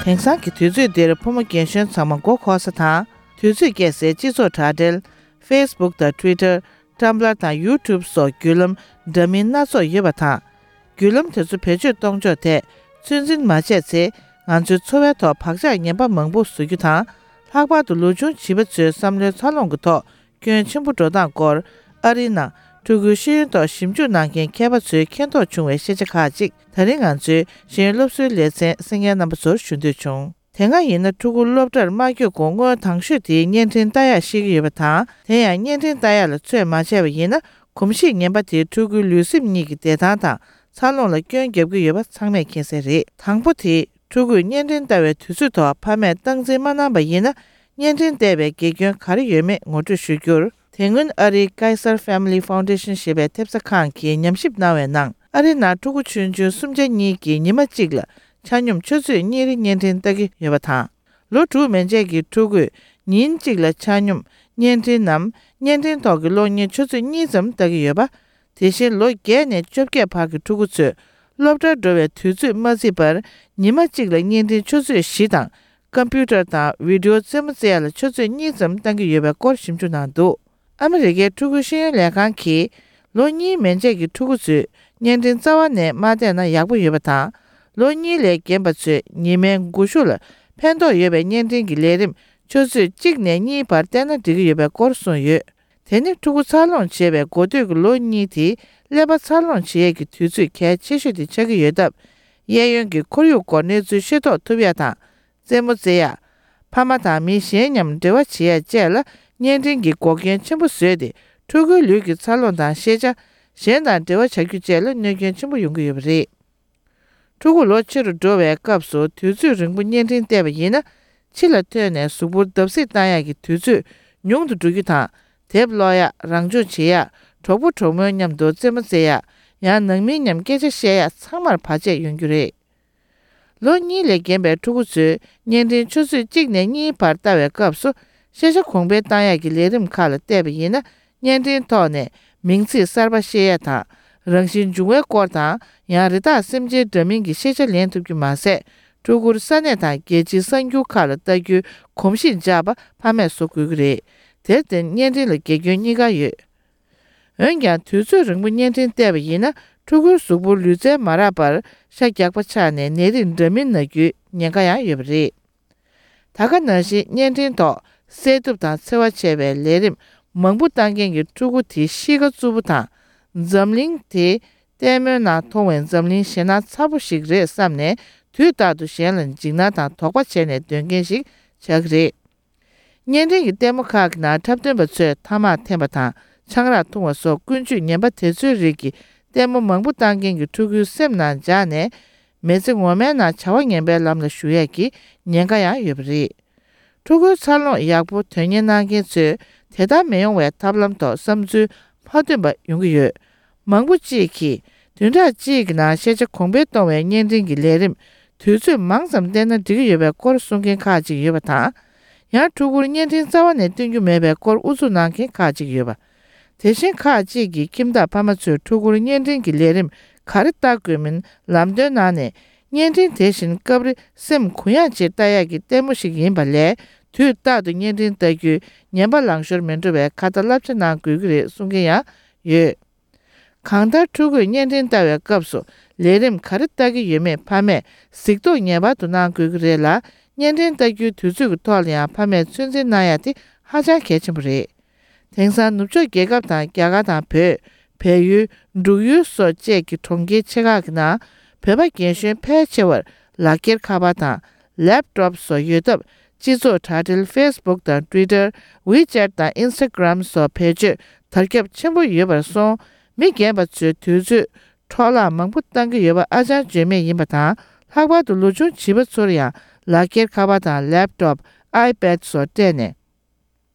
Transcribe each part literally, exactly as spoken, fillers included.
དེང་སང་གི་དུས་ཚོད་འདིར་ཕོ་མོ་རྒན་གཞོན་ཚང་མ་མགོ་འཁོར་ས་དང་། དུས་ཚོད་བསྐྱལ་སའི་སྤྱི་ཚོགས་དྲ་སྦྲེལ། Facebook དང་Twitter། Tumblr དང་YouTube སོགས་བརྒྱུད་ལམ་འདྲ་མིན་སྣ་ཚོགས་ཡོད་པ་དང་། བརྒྱུད་ལམ་དེ་ཚོ་བེད་སྤྱོད་གཏོང་ཕྱོགས་ཐད་ཚོད་འཛིན་མ་བྱས་ཚེ། ང་ཚོའི་འཚོ་བའི་ཐོག་བག་ཆགས་ངན་པ་མང་པོ་བཟོ་རྒྱུ་དང་། ལྷག་པར་དུ་ལོ་ཆུང་བྱིས་པ་ཚོའི་བསམ་བློའི་འཚར་ལོངས་ཀྱི་ཐོག་སྐྱོན་ཆེན་པོ་འགྲོ་སྟངས་སྐོར། ཨ་རིའི་ནང་ཕྲུ་གུའི་ཤེས་ཡོན་ཐོག་ཞིབ་འཇུག་གནང་མཁན་མཁས་པ་ཚོས་མཁྱེན་རྟོགས་བྱུང་བའི་ཤེས་བྱ་ཁག་ཅིག་ད་རིང་ང་ཚོའི་ཤེས་ཡོན་སློབ་གསོའི་ལེ་ཚན་གསན་མཁན་རྣམ་པ་ཚོར་ཞུ་འདོད་བྱུང་། དེ་སྔ་ཡིན་ན་ཕྲུ་གུ་སློབ་གྲྭར་མ་བསྐྱོད་གོང་སྔོན་དང་ཤོས་དེའི་བརྙན་འཕྲིན་ལྟ་ཡག་ཤེས་ཀྱི་ཡོད་པ་དང་། དེ་ཡང་བརྙན་འཕྲིན་ལྟ་ཡག་ལ་ཚོད་མ་བྱས་པ་ཡིན་ན། གོམས་གཤིས་ངན་པ་དེས་ཕྲུ་གུའི་ལུས་སེམས་གཉིས་ཀྱི་བདེ་ཐང་དང་འཚར་ལོངས་ལ་སྐྱོན་བརྒྱབ་ཀྱི་ཡོད་པ་ཚང་མས་མཁྱེན་གསལ་རེད། དང་པོ་དེ། ཕྲུ་གུས་བརྙན་འཕྲིན་ལྟ་བའི་དུས་ཚོད་ཐོག་ཕ་མས་སྟངས་འཛིན་མ་གནང་པ་ཡིན་ན། བརྙན་འཕྲིན་བལྟས་པའི་དགེ་སྐྱོན་ག་རེ་ཡོད་མེད་ངོ་སྤྲོད་ཞུ་རྒྱུར། དེ་སྔོན་ཨ་རིའི་Kaiser Family Foundation ཞེས་པའི་ཐེབས་རྩ་ཁང་གིས་ཉམས་ཞིབ་གནང་བའི་ནང་། ཨ་རིའི་ནང་ཕྲུ་གུ་ཆུང་ཆུང་སུམ་ཆ་གཉིས་ཀྱིས་ཉི་མ་གཅིག་ལ་ཆ་སྙོམས་ཆུ་ཚོད་གཉིས་རེ་བརྙན་འཕྲིན་ལྟ་གི་ཡོད་པ་དང་། ལོ་དྲུག་མན་ཆད་ཀྱི་ཕྲུ་གུས་ཉིན་གཅིག་ལ་ཆ་སྙོམས་བརྙན་འཕྲིན་ནམ་བརྙན་འཕྲིན་ཐོག་གི་གློག་བརྙན་ཆུ་ཚོད་གཉིས་ཙམ་ལྟ་གི་ཡོད་པ། དེ་བཞིན་ལོ་བརྒྱད་ནས་བཅོ་བརྒྱད་བར་གྱི་ཕྲུ་གུ་ཚོས་སློབ་གྲྭར་འགྲོ་བའི་དུས་ཚོད་མ་བརྩིས་པར་ཉི་མ་གཅིག་ལ་བརྙན་འཕྲིན་ཆུ་ཚོད་བཞི་དང་། ཀམ་པུ་ཊར་དང་བི་ཌི་ཡོ་རྩེད་མོ་རྩེ་ཡག་ལ་ཆུ་ཚོད་གཉིས་ཙམ་བཏང་གི་ཡོད་པའི་སྐོར་ཞིབ་འཇུག་གནང་འདུག་ཨ་མི་རི་ཀའི་ཕྲུ་གུའི་ཤེས་ཡོན་ལས་ཁང་གིས། ལོ་གཉིས་མན་ཆད་ཀྱི་ཕྲུ་གུ་ཚོས་བརྙན་འཕྲིན་རྩ་བ་ནས་མ་བལྟས་ན་ཡག་པོ་ཡོད་པ་དང་། ལོ་གཉིས་ལས་རྒན་པ་ཚོས་ཉི་མའི་འགུག་ཤུགས་ལ་ཕན་ཐོགས་ཡོད་པའི་བརྙན་འཕྲིན་གྱི་ལས་རིམ་ཆུ་ཚོད་གཅིག་ནས་གཉིས་བར་བལྟས་ན་འགྲིག་གི་ཡོད་པའི་སྐོར་གསུངས་ཡོད། དེ་ནི་ཕྲུ་གུ་འཚར་ལོངས་བྱེད་པའི་འགོ་སྟོད་ཀྱི་ལོ་གཉིས་དེ་ཀླད་པ་འཚར་ལོངས་བྱེད་ཡས་ཀྱི་དུས་ཚོད་གལ་ཆེ་ཤོས་དེ་ཆགས་ཀྱི་ཡོད་སྟབས། གཡས་གཡོན་གྱི་ཁོར་ཡུག་སྐོར་གནས་ཚུལ་ཤེས་རྟོགས་ཐུབ་ཡ་དང་། རྩེད་མོ་རྩེ་ཡ། ཕ་མ་དང་མི་གཞན་མཉམ་འབྲེལ་བ་བྱེད་ཡ་བཅས་ལ་བརྙན་འཕྲིན་གྱིས་འགོག་རྐྱེན་ཆེན་པོ་བཟོས་ཏེ། ཕྲུ་གུའི་ལུས་ཀྱི་འཚར་ལོངས་དང་ཤེས་བྱ། གཞན་དང་འབྲེལ་བ་བྱ་རྒྱུ་བཅས་ལ་གནོད་སྐྱོན་ཆེན་པོ་ཡོང་གི་ཡོད་པ་རེད། ཕྲུ་གུ་ལོ་ཆེ་རུ་འགྲོ་བའི་སྐབས་སུ་དུས་ཚོད་རིང་པོ་བརྙན་འཕྲིན་བལྟས་པ་ཡིན་ན། ཕྱི་ལ་ཐོན་ནས་གཟུགས་པོར་བརྡབ་གསིག་བཏང་ཡག་གི་དུས་ཚོད་ཉུང་དུ་འགྲོ་རྒྱུ་དང་། དེབ་ཀློག་ཡག་རང་སྦྱོང་བྱེད་ཡག་གྲོགས་པོ་གྲོགས་མོའི་མཉམ་དུ་རྩེད་མོ་རྩེ་ཡག་ཡང་ནང་མི་མཉམ་སྐད་ཆ་བཤད་ཡག་ཚང་མར་བར་ཆད་ཡོང་རྒྱུ་རེད། ལོ་གཉིས་ལས་རྒན་པའི་ཕྲུ་གུ་ཚོས་བརྙན་འཕྲིན་ཆུ་ཚོད་གཅིག་ནས་གཉིས་བར་ལྟ་བའི་སྐབས་སུ། ཤེས་བྱ་གོང་འཕེལ་བཏང་ཡག་གི་ལས་རིམ་ཁག་ལ་བལྟས་པ་ཡིན་ན། བརྙན་འཕྲིན་ཐོག་ནས་མིང་ཚིག་གསར་པ་ཤེས་ཡ་དང་། རང་བཞིན་འབྱུང་བའི་སྐོར་དང་། ཡང་རི་དྭགས་སེམས་ཅན་འདྲ་མིན་གྱི་ཤེས་བྱ་ལེན་ཐུབ་རྒྱུ་མ་ཟད། ཕྲུ་གུར་ས་གནས་དང་རྒྱལ་སྤྱིའི་གསར་འགྱུར་ཁག་ལ་ལྟ་རྒྱུའི་གོམས་གཤིས་འཇགས་པ་ཕ་མས་བཟོ་དགོས་ཀྱི་རེད། དེར་བརྟེན་བརྙན་འཕྲིན་ལ་དགེ་སྐྱོན་གཉིས་ཀ་ཡོད། འོན་ཀྱང་དུས་ཚོད་རིང་པོ་བརྙན་འཕྲིན་བལྟས་པ་ཡིན་ན། ཕྲུ་གུའི་གཟུགས་པོར་ལུས་རྩལ་མ་རག་པར་ཤ་རྒྱགས་པ་ཆགས་ནས་ནད་རིགས་འདྲ་མིན་ན་རྒྱུའི་ཉེན་ཁ་ཡང་ཡོད་པ་རེད། ད་ག་ནང་བཞིན་བརྙན་འཕྲིན་ཐོག་བསད་གཏུབ་དང་འཚེ་བ་ཆེ་བའི་ལས་རིམ་མང་པོ་བཏང་མཁན་གྱི་ཕྲུ་གུ་དེ་གཤིས་ཀ་རྩུབ་པོ་དང་། འཛམ་གླིང་དེ་ལྟད་མོའི་ནང་མཐོང་བའི་འཛམ་གླིང་ཞེད་སྣང་ཚ་པོ་ཞིག་རེད་བསམ་ནས། དུས་རྟག་ཏུ་གཞན་ལ་འཇིགས་སྣང་དང་དོགས་པ་བྱས་ནས་སྡོད་མཁན་ཞིག་ཆགས་ཀྱི་རེད། བརྙན་འཕྲིན་གྱི་ལྟད་མོ་ཁག་གི་ནང་འཁྲབ་སྟོན་པ་ཚོས་ཐ་མག་འཐེན་པ་དང་ཆང་རག་འཐུང་བ་སོགས་ཀུན་སྤྱོད་ངན་པ་དེ་ཚོའི་རིགས་ཀྱི་ལྟད་མོ་མང་པོ་བཏང་མཁན་གྱི་ཕྲུ་གུའི་སེམས་ནང་འཇགས་ནས། མི་ཚེ་ངོ་མའི་ནང་བྱ་བ་ངན་པའི་ལམ་ལ་ཞུགས་ཡས་ཀྱི་ཉེན་ཁ་ཡང་ཡོད་པ་རེད། ཕྲུ་གུའི་འཚར་ལོངས་ཡག་པོ་དོན་གཉེར་གནང་མཁན་ཚོས་དེ་ལྟར་མི་ཡོང་བའི་ཐབས་ལམ་ཐོག་བསམ་ཚུལ་མ་བཏོན་པ་ཡོང་གི་ཡོད། མང་པོ་གཅིག་གིས་བདུན་ཕྲག་གཅིག་གི་ནང་ཤེས་བྱ་གོང་འཕེལ་གཏོང་བའི་བརྙན་འཕྲིན་གྱི་ལས་རིམ་དུས་ཚོད་མང་ཙམ་བལྟས་ན་འགྲིག་གི་ཡོད་པའི་སྐོར་གསུང་མཁན་ཁག་ཅིག་ཡོད་པ་དང་། ཡང་ཕྲུ་གུར་བརྙན་འཕྲིན་རྩ་བ་ནས་སྟོན་རྒྱུ་མེད་པའི་སྐོར་ཨུ་ཚུགས་གནང་མཁན་ཁག་ཅིག་ཡོད་པ། དེ་བཞིན་ཁག་ཅིག་གིས་ཁྱིམ་བདག་ཕ་མ་ཚོས་ཕྲུ་གུར་བརྙན་འཕྲིན་གྱི་ལས་རིམ་ག་རེ་ལྟ་དགོས་མིན་ལམ་སྟོན་གནང་ནས། བརྙན་འཕྲིན་དེ་བཞིན་སྐབས་རེ་སེམས་གུ་ཡངས་ཆེད་ལྟ་ཡག་གི་ལྟད་མོ་ཞིག་ཡིན་པ་ལས། དུས་རྟག་ཏུ་བརྙན་འཕྲིན་ལྟ་རྒྱུའི་ངན་པ་ལངས་ཤོར་མི་འགྲོ་བའི་ཁ་ཏ་བསླབ་བྱ་གནང་དགོས་ཀྱི་རེད་གསུང་མཁན་ཡང་ཡོད། གང་ལྟར་ཕྲུ་གུས་བརྙན་འཕྲིན་ལྟ་བའི་སྐབས་སུ་ལས་རིམ་ག་རེ་ལྟ་གི་ཡོད་མེད་ཕ་མས་གཟིགས་རྟོག་ངེས་པར་དུ་གནང་དགོས་ཀྱི་རེད་ལ། བརྙན་འཕྲིན་ལྟ་རྒྱུའི་དུས་ཚོད་ཀྱི་ཐོག་ལ་ཡང་ཕ་མས་ཚོད་འཛིན་གནང་ཡ་དེ་ཧ་ཅང་གལ་ཆེན་པོ་རེད། དེང་སང་ནུབ་ཕྱོགས་རྒྱལ་ཁབ་དང་རྒྱ་གར་དང་བོད། བལ་ཡུལ། འབྲུག་ཡུལ་སོགས་བཅས་ཀྱི་གྲོང་ཁྱེར་ཆེ་ཁག་གི་ནང་བོད་པ་རྒན་གཞོན་ཕལ་ཆེ་བར་ལག་འཁྱེར་ཁ་པར་དང་ལེབ་ཊོབ་སོགས་ཡོད་སྟབས། སྤྱི་ཚོགས་དྲ་སྦྲེལ་ཕེ་སི་བུག་དང་ཊུའི་ཊར། ཝི་ཅེ་ཊི་དང་ཨིན་སི་ཊ་གྷི་རམ་སོགས་བེད་སྤྱོད་དར་ཁྱབ་ཆེན་པོ་ཡོད་པར་སོང་། མི་རྒན་པ་ཚོའི་དུས་ཚོད་འཕྲོ་བརླག་མང་པོ་བཏང་གི་ཡོད་པ་ཨ་ཅང་བརྗོད་མེད་ཡིན་པ་དང་། ལྷག་པར་དུ་ལོ་ཆུང་བྱིས་པ་ཚོར་ཡང་ལག་འཁྱེར་ཁ་པར་དང་ལེབ་ཊོབ། ཨའི་པེ་ཌི་སོགས་སྤྲད་ནས།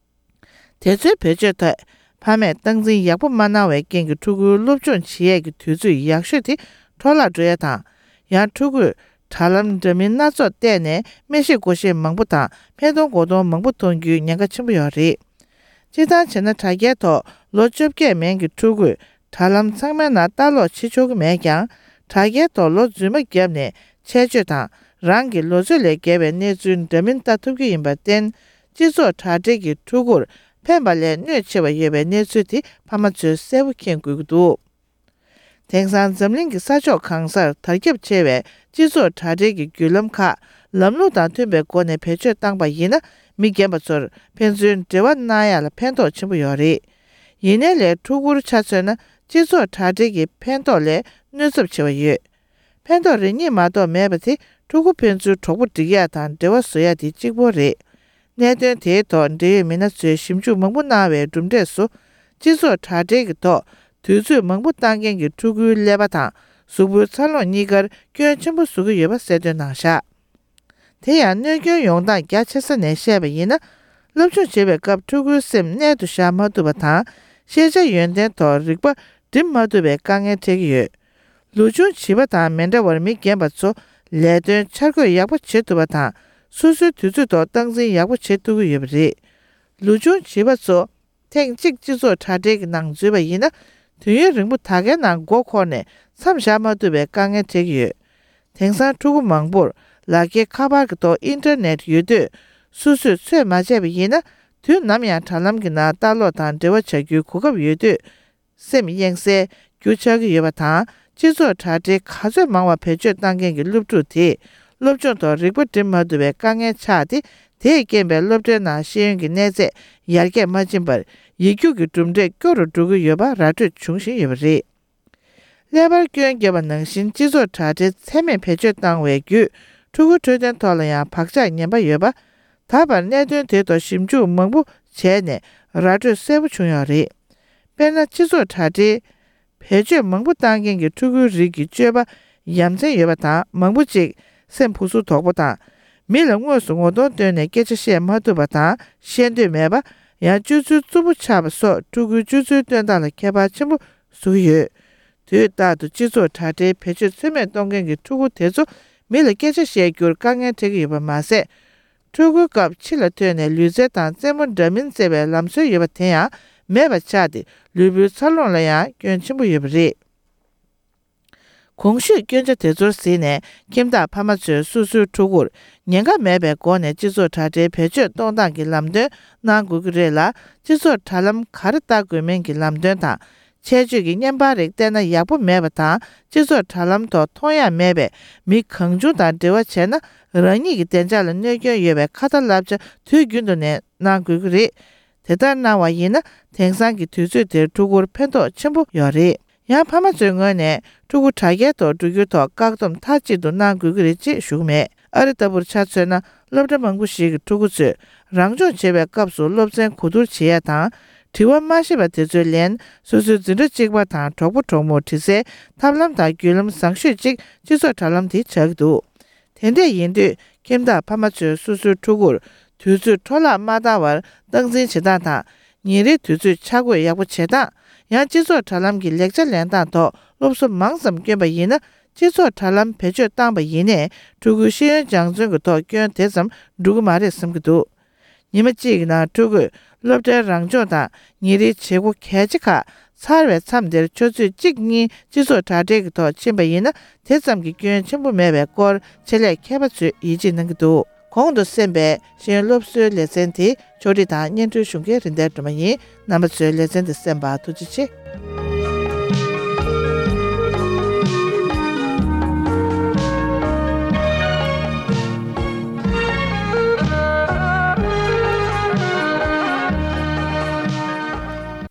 དེ་ཚོའི་བེད་སྤྱོད་ཐད་ཕ་མས་སྟངས་འཛིན་ཡག་པོ་མ་གནང་བའི་རྐྱེན་གྱིས་ཕྲུ་གུའི་སློབ་སྦྱོང་བྱེད་ཡས་ཀྱི་དུས་ཚོད་ཡག་ཤོས་དེ་འཕྲོ་བརླག་འགྲོ་ཡས་དང་། ཡང་ཕྲུ་གུས་དྲ་ལམ་འདྲ་མིན་སྣ་ཚོགས་བལྟས་ནས་སྨྲས་ཤེས་གོ་ཤེས་མང་པོ་དང་སྨྲས་གཏོང་གོ་གཏོང་མང་པོ་ཐོན་རྒྱུའི་ཉེན་ཁ་ཆེན་པོ་ཡོད་རེད། སྤྱིར་བཏང་བྱས་ན་དྲ་རྒྱའི་ཐོག་ལོ་བཅོ་བརྒྱད་མན་གྱི་ཕྲུ་གུས་དྲ་ལམ་ཚང་མའི་ནང་ལྟ་ཀློག་བྱེད་ཆོག་གི་མེད་ཀྱང་། དྲ་རྒྱའི་ཐོག་ལོ་རྫུན་མ་བརྒྱབ་ནས་འཆལ་སྤྱོད་དང་ རང་གི་ལོ་ཚོད་ལས་བརྒལ་བའི་གནས་ཚུལ་འདྲ་མིན་ལྟ་ཐུབ་ཀྱི་ཡིན་པར་བརྟེན། སྤྱི་ཚོགས་དྲ་སྦྲེལ་གྱི་ཕྲུ་གུར་ཕན་པ་ལས་གནོད་ཆེ་བ་ཡོད་པའི་གནས་ཚུལ་དེ་ཕ་མ་ཚོས་གསལ་པོ་མཁྱེན་དགོས་ཀྱི་འདུག། དེང་སང་འཛམ་གླིང་གི་ས་ཕྱོགས་གང་སར་དར་ཁྱབ་ཆེ་བའི་སྤྱི་ཚོགས་དྲ་སྦྲེལ་གྱི་བརྒྱུད་ལམ་ཁག་ལམ་ལུགས་དང་མཐུན་པའི་སྒོ་ནས་བེད་སྤྱོད་བཏང་པ་ཡིན་ན། མི་རྒན་པ་ཚོར་ཕན་ཚུན་འབྲེལ་བ་གནང་ཡག་ལ་ཕན་ཐོགས་ཆེན་པོ་ཡོད་རེད། ཡིན་ནའི་ལས་ཕྲུ་གུར་ཆ་མཚོན་ན། སྤྱི་ཚོགས་དྲ་སྦྲེལ་གྱི་ཕན་ཐོགས་ལས་གནོད་ཚབས་ཆེ་བ་ཡོད། ཕན་ཐོགས་རེ་གཉིས་མ་གཏོགས་མེད་པ་དེ་ཕྲུ་གུ་ཕན་ཚུན་གྲོགས་པོ་སྒྲིག་ཡག་དང་འབྲེལ་བ་བཟོ་ཡག་དེ་གཅིག་པོ་རེད། གནད་དོན་དེའི་ཐོག་འབྲེལ་ཡོད་མི་སྣ་ཚོས་ཞིབ་འཇུག་མང་པོ་གནང་བའི་གྲུབ་འབྲས་སུ། སྤྱི་ཚོགས་དྲ་སྦྲེལ་གྱི་ཐོག་དུས་ཚོད་མང་པོ་བཏང་མཁན་གྱི་ཕྲུ་གུའི་ཀླད་པ་དང་གཟུགས་པོའི་འཚར་ལོངས་གཉིས་ཀར་སྐྱོན་ཆེན་པོ་བཟོ་གི་ཡོད་པ་གསལ་སྟོན་གནང་བཞག། དེ་ཡང་གནོད་སྐྱོན་ཡོང་སྟངས་རྒྱ་ཆེ་ས་ནས་བཤད་པ་ཡིན་ན། སློབ་སྦྱོང་བྱེད་པའི་སྐབས་ཕྲུ་གུའི་སེམས་རྣལ་དུ་བཞག་མ་ཐུབ་པ་དང་། ཤེས་བྱ་ཡོན་ཏན་ཐོག་རིག་པ་སྒྲིམ་མ་ཐུབ་པའི་དཀའ་ངལ་འཕྲད་ཀྱི་ཡོད། ལོ་ཆུང་བྱིས་པ་དང་མི་འདྲ་བར་མི་རྒན་པ་ཚོ་ལས་དོན་འཆར་འགོད་ཡག་པོ་བྱེད་ཐུབ་པ་དང་། སོ་སོའི་དུས་ཚོད་ཐོག་སྟངས་འཛིན་ཡག་པོ་བྱེད་ཐུབ་ཀྱི་ཡོད་པ་རེད། ལོ་ཆུང་བྱིས་པ་ཚོ་ཐེངས་གཅིག་སྤྱི་ཚོགས་དྲ་སྦྲེལ་གྱི་ནང་འཛུལ་བ་ཡིན་ན། དུས་ཡུན་རིང་པོ་ད་གའི་ནང་མགོ་འཁོར་ནས་མཚམས་བཞག་མ་ཐུབ་པའི་དཀའ་ངལ་འཕྲད་ཀྱི་ཡོད། དེང་སང་ཕྲུ་གུ་མང་པོར་ལག་འཁྱེར་ཁ་པར་གྱི་ཐོག་ཨིན་ཊར་ནེཊ་ཡོད་དུས། སོ་སོས་ཚོད་མ་བྱས་པ་ཡིན་ན། དུས་ནམ་ཡང་དྲ་ལམ་གྱི་ནང་ལྟ་ཀློག་དང་འབྲེལ་བ་བྱ་རྒྱུའི་གོ་སྐབས་ཡོད་དུས། སེམས་གཡེང་སའི་རྒྱུ་ཆགས་ཀྱི་ཡོད་པ་དང་། སྤྱི་ཚོགས་དྲ་སྦྲེལ་ག་ཚོད་མང་བ་བེད་སྤྱོད་བཏང་མཁན་གྱི་སློབ་ཕྲུག་དེས་སློབ་སྦྱོང་ཐོག་རིག་པ་སྒྲིམ་མ་ཐུབ་པའི་དཀའ་ངལ་ཆགས་ཏེ། དེས་རྐྱེན་པས་སློབ་གྲྭའི་ནང་ཤེས་ཡོན་གྱི་གནས་ཚད་ཡར་རྒྱས་མ་ཕྱིན་པར། ཡིག་རྒྱུགས་ཀྱི་གྲུབ་འབྲས་སྐྱོ་རུ་འགྲོ་གི་ཡོད་པ་ར་སྤྲོད་བྱུང་བཞིན་ཡོད་པ་རེད། ཀླད་པར་སྐྱོན་བརྒྱབ་པ་ནང་བཞིན། སྤྱི་ཚོགས་དྲ་སྦྲེལ་ཚད་མེད་བེད་སྤྱོད་བཏང་བའི་བརྒྱུད། ཕྲུ་གུའི་འཕྲོད་བསྟེན་ཐོག་ལ་ཡང་བག་ཆགས་ངན་པ་ཡོད་པ། ད་བར་གནད་དོན་དེ་ཐོག་ཞིབ་འཇུག་མང་པོ་བྱས་ནས་ར་སྤྲོད་གསལ་པོ་བྱུང་ཡོད་རེད། དཔེར་ན། སྤྱི་ཚོགས་དྲ་སྦྲེལ་བེད་སྤྱོད་མང་པོ་བཏང་མཁན་གྱི་ཕྲུ་གུའི་རིགས་ཀྱི་སྤྱོད་པ་ཡ་མཚན་ཡོད་པ་དང་། མང་པོ་ཅིག་སེམས་ཕུགས་གསོ་དོག་པོ་དང་། མི་ལ་དངོས་སུ་ངོ་གདོང་སྟོན་ནས་སྐད་ཆ་བཤད་མ་ཐུབ་པ་དང་། བཤད་འདོད་མེད་པ། ཡང་སྤྱོད་ཚུལ་རྩུབ་པོ་ཆགས་པ་སོགས་ཕྲུ་གུའི་སྤྱོད་ཚུལ་སྟོན་སྟངས་ལ་ཁྱད་པར་ཆེན་པོ་བཟོ་གི་ཡོད། དུས་རྟག་ཏུ་སྤྱི་ཚོགས་དྲ་སྦྲེལ་བེད་སྤྱོད་ཚོད་མེད་གཏོང་མཁན་གྱི་ཕྲུ་གུ་དེ་ཚོ་མི་ལ་སྐད་ཆ་བཤད་རྒྱུར་དཀའ་ངལ་འཕྲད་ཀྱི་ཡོད་པ་མ་ཟད། ཕྲུ་གུའི་སྐབས་ཕྱི་ལ་ཐོན་ནས་ལུས་རྩལ་དང་རྩེད་མོ་འདྲ་མིན་རྩེ་བའི་ལམ་སྲོལ་ཡོད་པ་དེ་ཡང་མེད་པ་ཆགས་ཏེ། ལུས་པོའི་འཚར་ལོངས་ལ་ཡང་སྐྱོན་ཆེན་པོ་ཡོད་པ་རེད། གོང་ཞུས་སྐྱོན་ཆ་དེ་ཚོར་གཟིགས་ནས། ཁྱིམ་བདག་ཕ་མ་ཚོས་སོ་སོའི་ཕྲུ་གུར་ཉེན་ཁ་མེད་པའི་སྒོ་ནས་སྤྱི་ཚོགས་དྲ་སྦྲེལ་བེད་སྤྱོད་གཏོང་སྟངས་ཀྱི་ལམ་སྟོན་གནང་དགོས་ཀྱི་རེད་ལ། སྤྱི་ཚོགས་དྲ་ལམ་ག་རེ་ལྟ་དགོས་མིན་གྱི་ལམ་སྟོན་དང་། ཆད་གཅོད་ཀྱི་བརྙན་པར་རིགས་བལྟས་ན་ཡག་པོ་མེད་པ་དང་། སྤྱི་ཚོགས་དྲ་ལམ་ཐོག་མཐོང་ཡ་མེད་པའི་མི་གང་བྱུང་དང་འབྲེལ་བ་བྱས་ན། རང་ཉིད་ཀྱི་བདེ་འཇགས་ལ་གནོད་སྐྱོན་ཡོད་པའི་ཁ་ཏ་བསླབ་བྱ་དུས་རྒྱུན་དུ་ནས་གནང་དགོས་ཀྱི་རེད། དེ་ལྟར་གནང་བ་ཡིན་ན། དེང་སང་གི་དུས་ཚོད་དེར་ཕྲུ་གུར་ཕན་ཐོགས་ཆེན་པོ་ཡོད་རེད། ཡང་ཕ་མ་ཚོའི་ངོས་ནས་ཕྲུ་གུ་དྲ་རྒྱའི་ཐོག་འགྲོ་རྒྱུའི་ཐོག་བཀག་སྡོམ་མཐའ་གཅིག་ཏུ་གནང་དགོས་ཀྱི་རེད་ཅེས་ཞུ་གི་མེད། ཨ་རི་ལྟ་བུར་ཆ་མཚོན་ན། སློབ་གྲྭ་མང་པོ་ཞིག་གི་ཕྲུ་གུ་ཚོས་རང་སྦྱོང་བྱེད་པའི་སྐབས་སུ་སློབ་ཚན་གོ་བསྡུར་བྱེད་ཡ་དང་། དྲི་བ་མ་ཤེས་པ་དེ་ཚོའི་ལན་སོ་སོའི་འཛིན་གྲྭ་གཅིག་པ་དང་གྲོགས་པོ་གྲོགས་མོར་དྲི་སའི་ཐབས་ལམ་དང་བརྒྱུད་ལམ་བཟང་ཤོས་གཅིག་སྤྱི་ཚོགས་དྲ་ལམ་དེ་ཆགས་ཀྱི་འདུག། དེ་འདྲས་ཡིན་དུས། ཁྱིམ་བདག་ཕ་མ་ཚོས་སོ་སོའི་ཕྲུ་གུར་དུས་ཚོད་འཕྲོ་བརླག་མ་བཏང་བར་སྟངས་འཛིན་བྱེད་སྟངས་དང་། ཉིན་རེའི་དུས་ཚོད་ཆ་བགོས་ཡག་པོ་བྱེད་སྟངས། ཡང་སྤྱི་ཚོགས་དྲ་ལམ་གྱི་ལེགས་ཆ་ལེན་སྟངས་ཐོག་སློབ་གསོ་མང་ཙམ་བསྐྱོན་པ་ཡིན་ན། སྤྱི་ཚོགས་དྲ་ལམ་བེད་སྤྱོད་བཏང་པ་ཡིན་ནའི་ཕྲུ་གུའི་ཤེས་ཡོན་སྦྱང་བརྩོན་གྱི་ཐོག་སྐྱོན་དེ་ཙམ་འགྲོ་གི་མ་རེད་བསམ་གྱི་འདུག། ཉི་མ་གཅིག་གི་ནང་ཕྲུ་གུས་སློབ་གྲྭའི་རང་སྦྱོང་དང་ཉིན་རེའི་བྱེད་སྒོ་གལ་ཆེ་ཁག་ཚར་བའི་མཚམས་དེར་ཆུ་ཚོད་གཅིག་གཉིས་སྤྱི་ཚོགས་དྲ་སྦྲེལ་གྱི་ཐོག་ཕྱིན་པ་ཡིན་ན། དེ་ཙམ་གྱི་སྐྱོན་ཆེན་པོ་མེད་པའི་སྐོར་ཆེད་ལས་མཁས་པ་ཚོས་ཡིད་ཆེས་གནང་གི་འདུག། གོང་དུ་གསན་པའི་ཤེས་ཡོན་སློབ་གསོའི་ལེ་ཚན་དེ་ཕྱོགས་སྒྲིག་དང་སྙན་སྒྲོན་ཞུ་མཁན་རིན་ལྡན་སྒྲོལ་མ་ཡིན། རྣམ་པ་ཚོས་ལེ་ཚན་འདི་གསན་པར་ཐུགས་རྗེ་ཆེ།